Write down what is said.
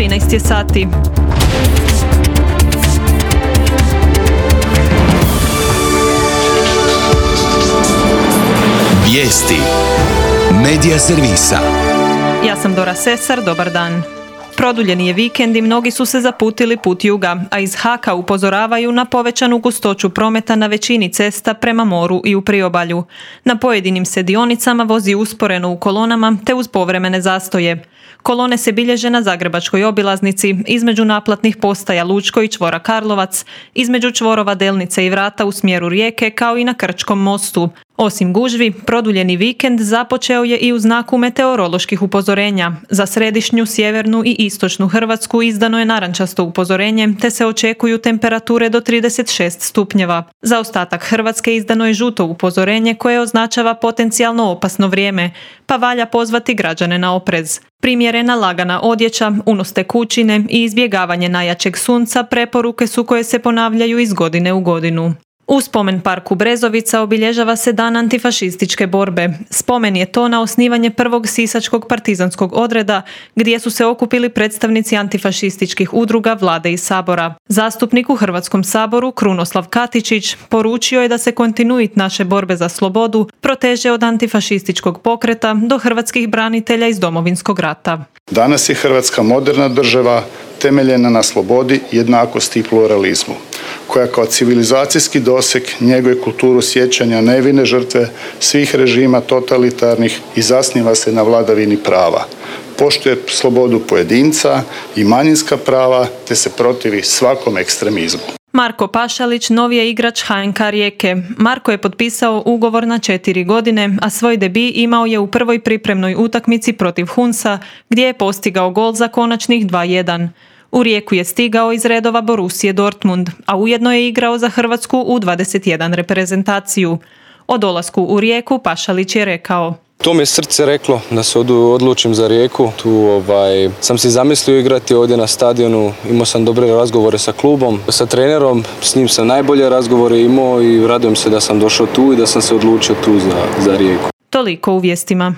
13 je sati. Vijesti Medija servisa. Ja sam Dora Sesar, dobar dan. Produljeni je vikend i mnogi su se zaputili put juga, a iz HAK-a upozoravaju na povećanu gustoću prometa na većini cesta prema moru i u priobalju. Na pojedinim se dionicama vozi usporeno u kolonama te uz povremene zastoje. Kolone se bilježe na Zagrebačkoj obilaznici, između naplatnih postaja Lučko i čvora Karlovac, između čvorova Delnice i Vrata u smjeru Rijeke, kao i na Krčkom mostu. Osim gužvi, produljeni vikend započeo je i u znaku meteoroloških upozorenja. Za središnju, sjevernu i istočnu Hrvatsku izdano je narančasto upozorenje, te se očekuju temperature do 36 stupnjeva. Za ostatak Hrvatske izdano je žuto upozorenje koje označava potencijalno opasno vrijeme, pa valja pozvati građane na oprez. Primjerena lagana odjeća, unos tekućine i izbjegavanje najjačeg sunca preporuke su koje se ponavljaju iz godine u godinu. U spomen parku Brezovica obilježava se dan antifašističke borbe. Spomen je to na osnivanje prvog sisačkog partizanskog odreda, gdje su se okupili predstavnici antifašističkih udruga, vlade i sabora. Zastupnik u Hrvatskom saboru Krunoslav Katičić poručio je da se kontinuit naše borbe za slobodu proteže od antifašističkog pokreta do hrvatskih branitelja iz Domovinskog rata. Danas je Hrvatska moderna država temeljena na slobodi, jednakosti i pluralizmu, koja kao civilizacijski doseg njeguje kulturu sjećanja nevine žrtve svih režima totalitarnih i zasniva se na vladavini prava. Poštuje slobodu pojedinca i manjinska prava te se protivi svakom ekstremizmu. Marko Pašalić novi je igrač HNK Rijeke. Marko je potpisao ugovor na 4 godine, a svoj debi imao je u prvoj pripremnoj utakmici protiv Hunsa, gdje je postigao gol za konačnih 2:1. U Rijeku je stigao iz redova Borussije Dortmund, a ujedno je igrao za Hrvatsku U21 reprezentaciju. O dolasku u Rijeku Pašalić je rekao: To mi je srce reklo da se odlučim za Rijeku. Tu sam si zamislio igrati ovdje na stadionu, imao sam dobre razgovore sa klubom, sa trenerom, s njim sam najbolje razgovore imao i radujem se da sam došao tu i da sam se odlučio tu za Rijeku. Toliko u vijestima.